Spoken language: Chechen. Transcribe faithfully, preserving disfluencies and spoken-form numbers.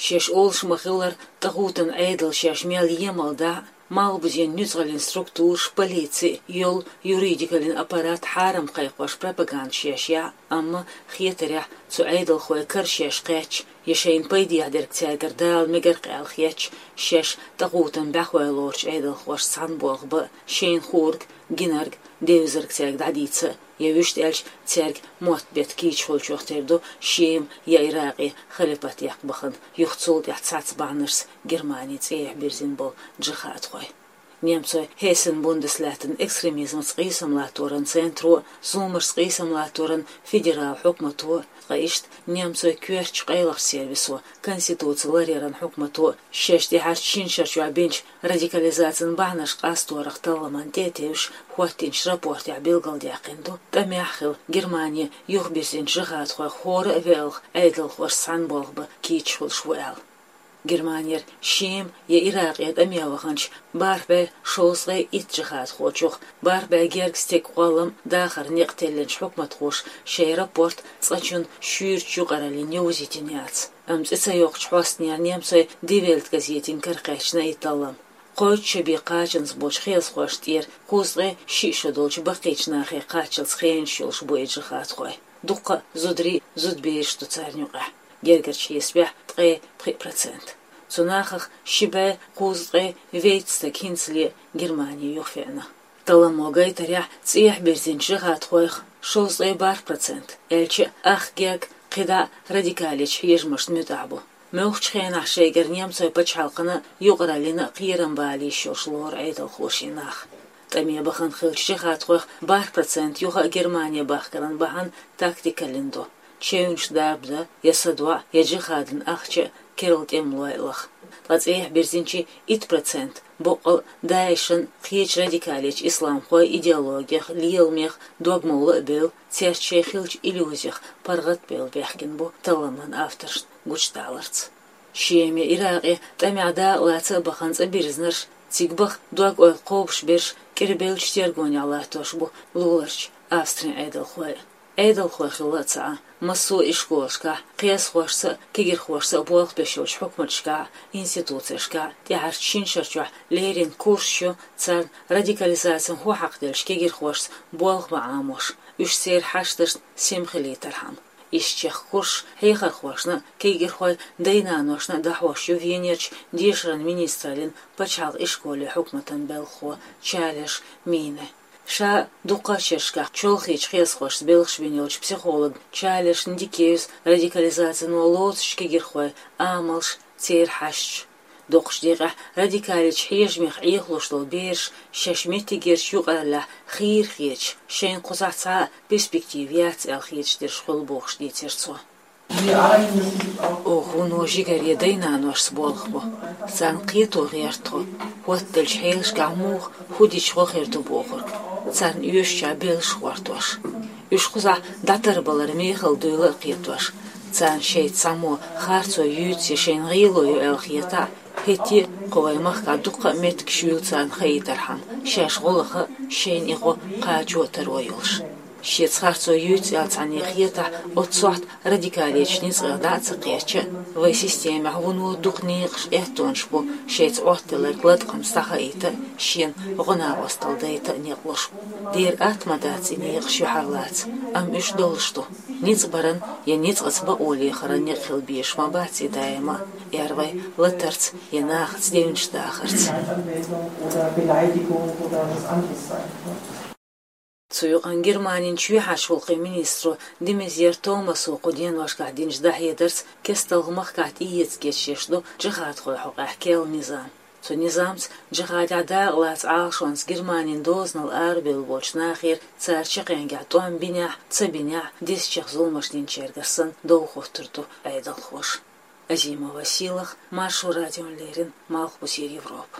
Шаьш олуш ма-хиллара, тӀагӀутан Ӏедал шаьш мел емал дахь а, малхбузен нуьцкъаллин структураш, полици а, йолу юридикаллин аппарат хьарам кхайкхош пропаганда шаьш яхь а, амма хетарехь, цу Ӏедалхойн кара шаьш кхаьчча я шайна пайдехь дерг цаьргара дала мегар-кх аьлла хетча, шаьш тӀагӀутан бӀаьхой лоручу Ӏедалхошца цхьаьна болх бан а, шайна хуург, гинарг, девзарг цаьрга дӀадийца а, я вуьшта аьлча, цаьрга мотт-бетт кийча хуьлучух тера ду Шема я Иракъе халипат яккха бахана, юха цул тӀаьхьа цхьацца бахьанашца Германи цӀехьа бирзина болу джихадхой. Немцойн Хессен-Бундеслаьттан экстремизмаца къийсам латторан центро а, зуламашца къийсам латторан федерал хьукмато а, ткъа иштта немцойн коьртачу къайлахчу сервисо, конституци ларъяран хьукмато а шаьш тӀаьхьарчу шина шарчохь бинчу радикализацин бахьанаш къасторах талламан тӀе а тевжаш хӀоттийначу рапортехь билгалдаьккхина ду, тӀамехь а хилла, Германи юхабирзинчу джихадхойх хӀора а велха Ӏедалхошца цхьаьна болх бан кийча хуьлуш ву аьлла. Германера Шема я Иракъе тӀаме ваханчу бархӀ бӀе шовзткъе итт джихадхочух, бархӀ бӀе гергга стеган кхоллам, дахаран некъ теллинчу хьукматхоша шайн рапорт цкъачунна шуьйрачу юкъараллина йовзийтина яц. Амма цӀе ца йоккхучу хьостанера немцойн Die Welt газетина карахьоьттина и таллам. Кхойтта шо бен кхачанца болчу хьесахошна тӀера кхузткъе шиъ шо долчу баккхийчу нахе кхаччалц хенаш йолуш бу и джихадхой. Дуккха а зударий, зудабераш ду царна юкъахь. Гергарчу хьесапехь ткъе пхиъ процент. Цу нахах ши бӀе кхузткъе вейтта стаг хӀинцале Германи юхавеана. Талламо гайтарехь, цӀехьа бирзинчу джихадхойх шовзткъе бархӀ процент, аьлча а, ах гергга кхидӀа а радикалечу хьежамашна муьтӀахь бу. Муьлххачу хенахь шайгара немцойн пачхьалкхана а, юкъараллина а кхерам бала йиш йолуш лору Ӏедалхоша и нах. ТӀаме бахана хиллачу джихадхойх бархӀ процент юха а Германе бахкаран бахьана тактикаллин ду: чевнаш дарба дан, я садоӀа, я джихадан ахча а керла тӀемалой а лаха. Ткъа цӀехьа бирзинчийн итт процент боккъал а ДАИШан, кхечу радикалечу исламхойн идеологех, леламех дог ма-вуллу а бевлла, цаьрца шайн хиллачу иллюзех паргӀат а бевлла баьхкина бу талламан авторшна гучудаларца. Шема я Иракъе тӀамехь дакъалаца а бахана цӀа бирзинарш, цига баха дог-ойла кхобуш берш кӀирбеллачу тергонехь латтош бу луларчу Австрин Ӏедалхой а. Ӏедалхой хилла а ца Ӏа, массо а ишколашкахь, кхиазхошца а, кегирхошца а болх беш йолчу хьукматашкахь а, институцешкахь а тӀаьхьарчу шина шарчохь леррина курсаш ю царна радикализацин хӀу хьакхаделлачу кегирхошца болх бан Ӏамош, уьш церан хьашташна сема хилийтархьама. Иштачех курсаш хьехархошна а, кегирхойн дай-наношна а дахьош ю Венерчу дешаран министраллин пачхьалкхан ишколе хьукматан белхахо Чалеш Мине. Ша дуккха а шерашкахь чолхечу хьесахошца белхаш бина йолчу психолог Чалеш Ндикеевс радикализацино лоцучу кегирхойн амалш, церан хьашташ. Дукхачу декъехь радикалечу хьежамех Ӏехалуш долу бераш шаьш меттигерчу юкъараллехь хийра хеташ, шайна кхузахь цхьа а перспектива яц аьлла хеташ дерш хуьлу бохуш дийцира цо. Оха вуно жигаре дай-наношца болх бо. Царна кхето гӀерта тхо, хӀоттаделлачу хьелашкахь муха, хӀу дича гӀо хир ду бохург. Царна оьшучохь беллаш а гӀортош. Уьш кхузахь дӀатарбалар мехала дуйла а кхетош. Царна шайца цхьаммо харцо юьйцу я шайна гӀело йо аьлла хетахь а, хӀетте а кху вайн махкахь дуккха а меттигаш юьйлу царна хаийтархьама, шаьш гӀо лаха а, шайна и гӀо кхачо а таро йолуш. Шеца харцо юьйцу аьлла цхьанне хетахь, оццу сохьта радикалечу ницкъех дӀа а ца кхеча а, вайн системехь вуно дукха некъаш, аьттонаш бу шайца Ӏоттаделларг латкъамца дӀахаийта а, шена гӀо-накъосталла дайта а некъ луш. Дера атта ма дац и некъаш юьхьарлаца, амма уьш долуш ду. Ницкъ баран я ницкъаца бакъо лехаран некъ хила безаш ма бац и даима а, эр вай латарца я нахаца девнаш дахарца. Цу юкъана Германин чоьхьарчу гӀуллакхийн министро де Мезьер Томасо кху деношкахь динчу дӀахьедарца кестта махкахь тӀеэца гечдеш ду джихадхойн хьокъехь кхоллалуш низам. Цу низамца джихадехь дакъалаца Ӏалашонца Германин дозанал арабевлла болчу нахера, цара чаккхенгахь тӀом бинехь а, ца бинехь а, дезачех зуламаш динчаьргара санна, дов хӀоттур ду Ӏедалхоша. Азимова Сийлаха, Маршо радиона леррина, Малхбузера Европа.